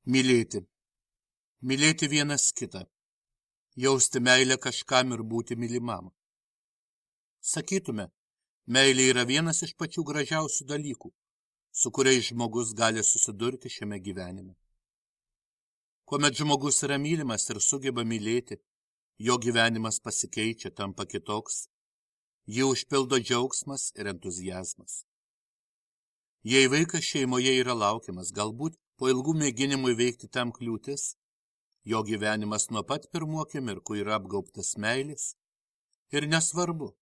Mylėti. Mylėti vienas kitą. Jausti meilę kažkam ir būti mylimam. Sakytume, meilė yra vienas iš pačių gražiausių dalykų, su kuriais žmogus gali susidurti šiame gyvenime. Kuomet žmogus yra mylimas ir sugeba mylėti, jo gyvenimas pasikeičia, tampa kitoks, jį užpildo džiaugsmas ir entuzijazmas. Jei vaikas šeimoje yra laukiamas, galbūt po ilgų mėginimų įveikti tam kliūtis, jo gyvenimas nuo pat pirmų akimirkų yra apgaubtas meilės ir nesvarbu,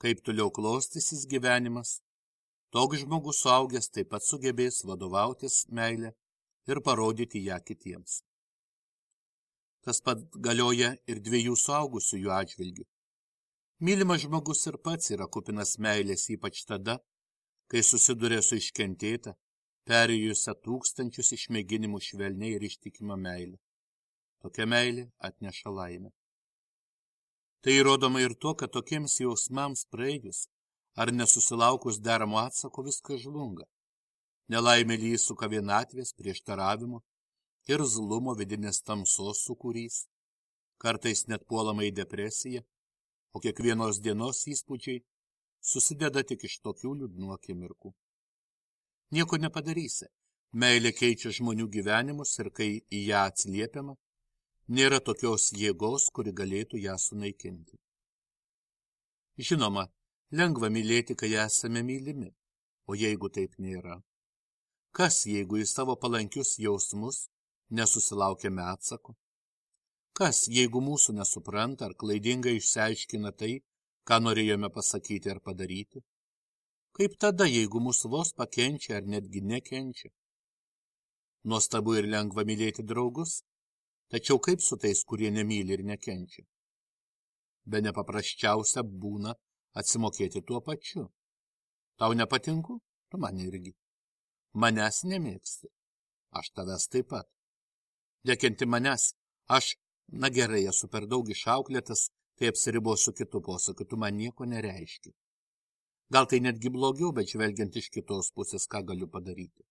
kaip toliau klostysis gyvenimas, toks žmogus suaugęs taip pat sugebės vadovautis meilę ir parodyti ją kitiems. Tas pat galioja ir dviejų suaugusiųjų atžvilgių. Mylimas žmogus ir pats yra kupinas meilės, ypač tada, kai susiduria su iškentėta, perėjusią tūkstančius išmėginimų švelniai ir ištikimą meilę. Tokia meilė atneša laimę. Tai įrodoma ir to, kad tokiems jausmams praėjus ar nesusilaukus deramo atsako viskas žlunga. Nelaimėlį įsuka vienatvės, prieštaravimo ir zlumo vidinės tamsos sūkurys, kartais net puolama į depresiją, o kiekvienos dienos įspūdžiai susideda tik iš tokių liūdnų akimirkų. Nieko nepadarysi. Meilė keičia žmonių gyvenimus ir kai į ją atsiliepiama, nėra tokios jėgos, kuri galėtų ją sunaikinti. Žinoma, lengva mylėti, kai esame mylimi, o jeigu taip nėra? Kas, jeigu į savo palankius jausmus nesusilaukėme atsako? Kas, jeigu mūsų nesupranta ar klaidingai išsiaiškina tai, ką norėjome pasakyti ar padaryti? Kaip tada, jeigu mūsų vos pakenčia ar netgi nekenčia? Nuostabu ir lengva mylėti draugus, tačiau kaip su tais, kurie nemyli ir nekenčia? Be nepaprasčiausia būna atsimokėti tuo pačiu. Tau nepatinku? Tu man irgi. Manęs nemėgsti. Aš tavęs taip pat. Nekenti manęs. Aš, na gerai, esu per daug išauklėtas, tai apsiribosiu kitu posakiu, tu man nieko nereiški. Gal tai netgi blogiau, bet žvelgiant iš kitos pusės, ką galiu padaryti.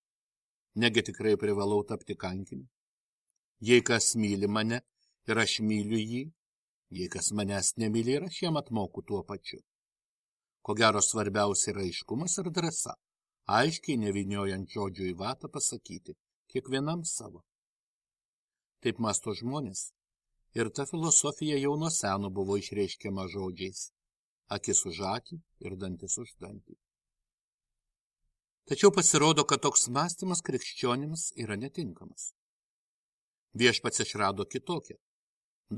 Negi tikrai privalau tapti kankiniu. Jei kas myli mane ir aš myliu jį, jei kas manęs nemyli ir aš jam atmoku tuo pačiu. Ko gero svarbiausia yra aiškumas ir drąsa, aiškiai nevyniojant žodžių į vatą pasakyti, kiekvienam savo. Taip mąsto žmonės, ir ta filosofija jau nuo seno buvo išreiškiama žodžiais. Akis už akį ir dantis už dantį. Tačiau pasirodo, kad toks mąstymas krikščionims yra netinkamas. Viešpats išrado kitokią,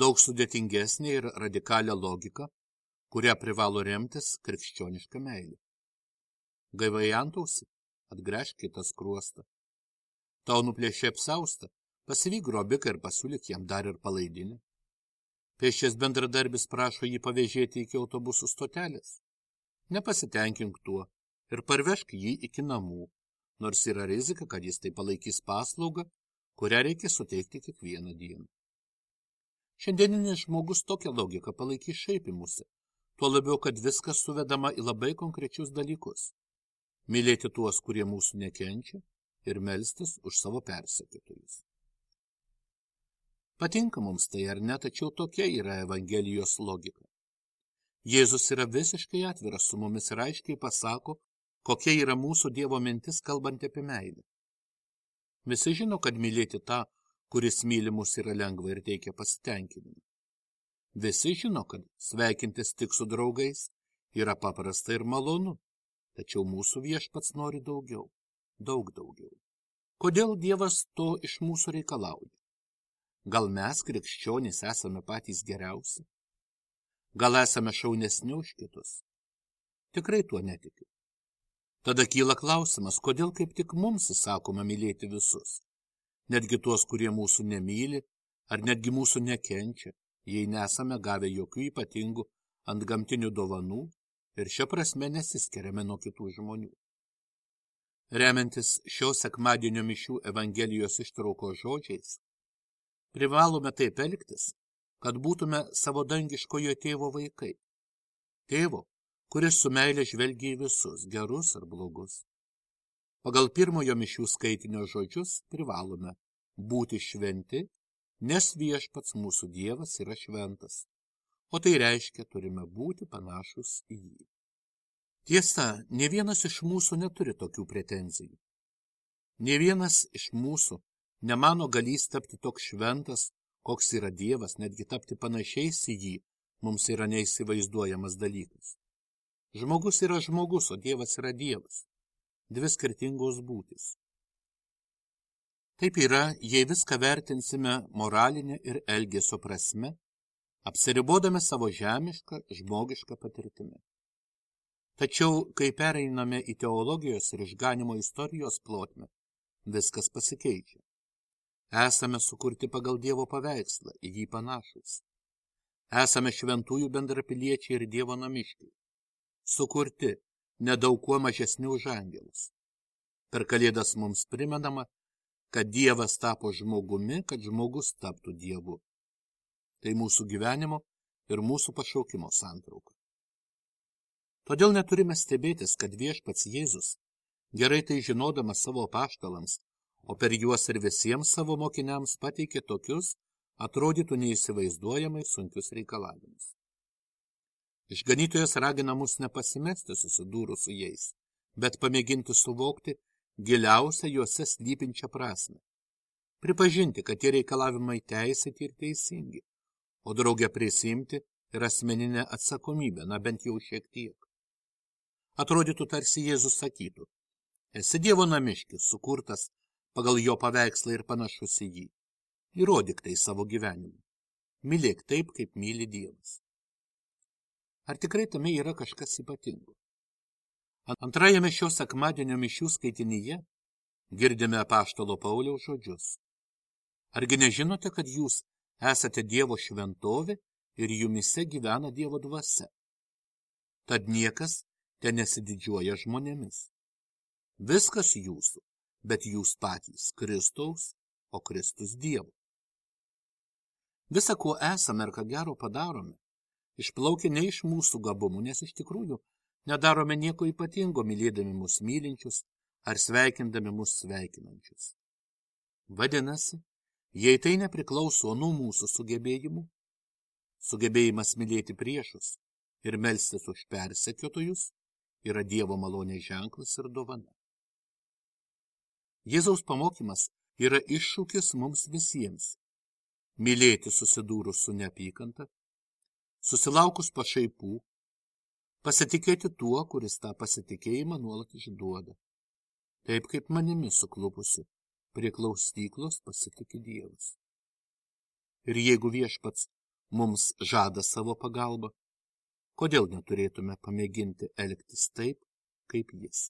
daug sudėtingesnė ir radikalią logiką, kurią privalo remtis krikščioniška meilė. Gaivai antausi, atgręžk kitą skruostą. Tau nuplėšė apsaustą, pasivyk grobiką ir pasiūlyk jam dar ir palaidinę. Pėsčias bendradarbis prašo jį pavėžėti iki autobusų stotelės. Nepasitenkink tuo ir parvežk jį iki namų, nors yra rizika, kad jis tai palaikys paslaugą, kurią reikia suteikti kiekvieną dieną. Šiandieninis žmogus tokią logiką palaikys šaipimusi, tuo labiau, kad viskas suvedama į labai konkrečius dalykus. Mylėti tuos, kurie mūsų nekenčia, ir melstis už savo persekiotojus. Patinka mums tai ar ne, tačiau tokia yra Evangelijos logika. Jėzus yra visiškai atviras su mumis ir aiškiai pasako, kokia yra mūsų Dievo mintis kalbant apie meilę. Visi žino, kad mylėti tą, kuris myli mus, yra lengva ir teikia pasitenkinimą. Visi žino, kad sveikintis tik su draugais yra paprasta ir malonu, tačiau mūsų viešpats nori daugiau, daug daugiau. Kodėl Dievas to iš mūsų reikalauja? Gal mes, krikščionys, esame patys geriausi? Gal esame šaunesni už kitus? Tikrai tuo netikiu. Tada kyla klausimas, kodėl kaip tik mums įsakoma mylėti visus, netgi tuos, kurie mūsų nemyli, ar netgi mūsų nekenčia, jei nesame gavę jokių ypatingų antgamtinių dovanų ir šia prasme nesiskiriame nuo kitų žmonių. Remiantis šio sekmadienio mišių Evangelijos ištraukos žodžiais, privalome taip elgtis, kad būtume savo dangiškojo tėvo vaikai. Tėvo, kuris su meile žvelgia į visus, gerus ar blogus. Pagal pirmojo mišių skaitinio žodžius privalome būti šventi, nes viešpats mūsų Dievas yra šventas, o tai reiškia, turime būti panašus į jį. Tiesa, nė vienas iš mūsų neturi tokių pretenzijų. Nė vienas iš mūsų nemano galys tapti toks šventas, koks yra Dievas, netgi tapti panašiais į jį, mums yra neįsivaizduojamas dalykas. Žmogus yra žmogus, o Dievas yra Dievas. Dvi skirtingos būtys. Taip yra, jei viską vertinsime moralinę ir elgesio prasme, apsiribodami savo žemišką, žmogišką patirtimį. Tačiau, kai pereiname į teologijos ir išganimo istorijos plotmę, viskas pasikeičia. Esame sukurti pagal Dievo paveikslą, į jį panašus. Esame šventųjų bendrapiliečiai ir Dievo namiškiai. Sukurti, nedaug kuo mažesni už angelus. Per Kalėdas mums primenama, kad Dievas tapo žmogumi, kad žmogus taptų Dievu. Tai mūsų gyvenimo ir mūsų pašaukimo santrauka. Todėl neturime stebėtis, kad viešpats Jėzus, gerai tai žinodamas savo apaštalams, o per juos ir visiems savo mokiniams pateikė tokius, atrodytų neįsivaizduojamai sunkius reikalavimus. Išganytojas ragina mus nepasimesti susidūrus su jais, bet pamėginti suvokti giliausią juose slypinčią prasmę. Pripažinti, kad tie reikalavimai teisėti ir teisingi, o drauge prisiimti ir asmeninę atsakomybę, bent jau šiek tiek. Atrodytų tarsi Jėzus sakytų, esi Dievo namiškis, sukurtas pagal jo paveikslą ir panašus į jį. Įrodyk tai savo gyvenimu. Mylėk taip, kaip myli Dievas. Ar tikrai tame yra kažkas ypatingo? Antrajame šio sekmadienio mišių skaitinyje girdime apaštalo Pauliaus žodžius. Argi nežinote, kad jūs esate Dievo šventovė ir jumise gyvena Dievo dvasia? Tad niekas ten nesididžiuoja žmonėmis. Viskas jūsų, bet jūs patys Kristaus, o Kristus Dievo. Visa, ko esame ir ką gero padarome, išplaukia ne iš mūsų gabumų, nes iš tikrųjų nedarome nieko ypatingo, mylėdami mus mylinčius ar sveikindami mus sveikinančius. Vadinasi, jei tai nepriklauso nuo mūsų sugebėjimų, sugebėjimas mylėti priešus ir melstis už persekiotojus yra Dievo malonės ženklas ir dovana. Jėzaus pamokymas yra iššūkis mums visiems. Mylėti susidūrus su neapykanta, susilaukus pašaipų, pasitikėti tuo, kuris tą pasitikėjimą nuolat išduoda. Taip kaip manimi suklupusi prie klausyklos pasitiki Dievas. Ir jeigu viešpats mums žada savo pagalbą, kodėl neturėtume pamėginti elgtis taip, kaip jis?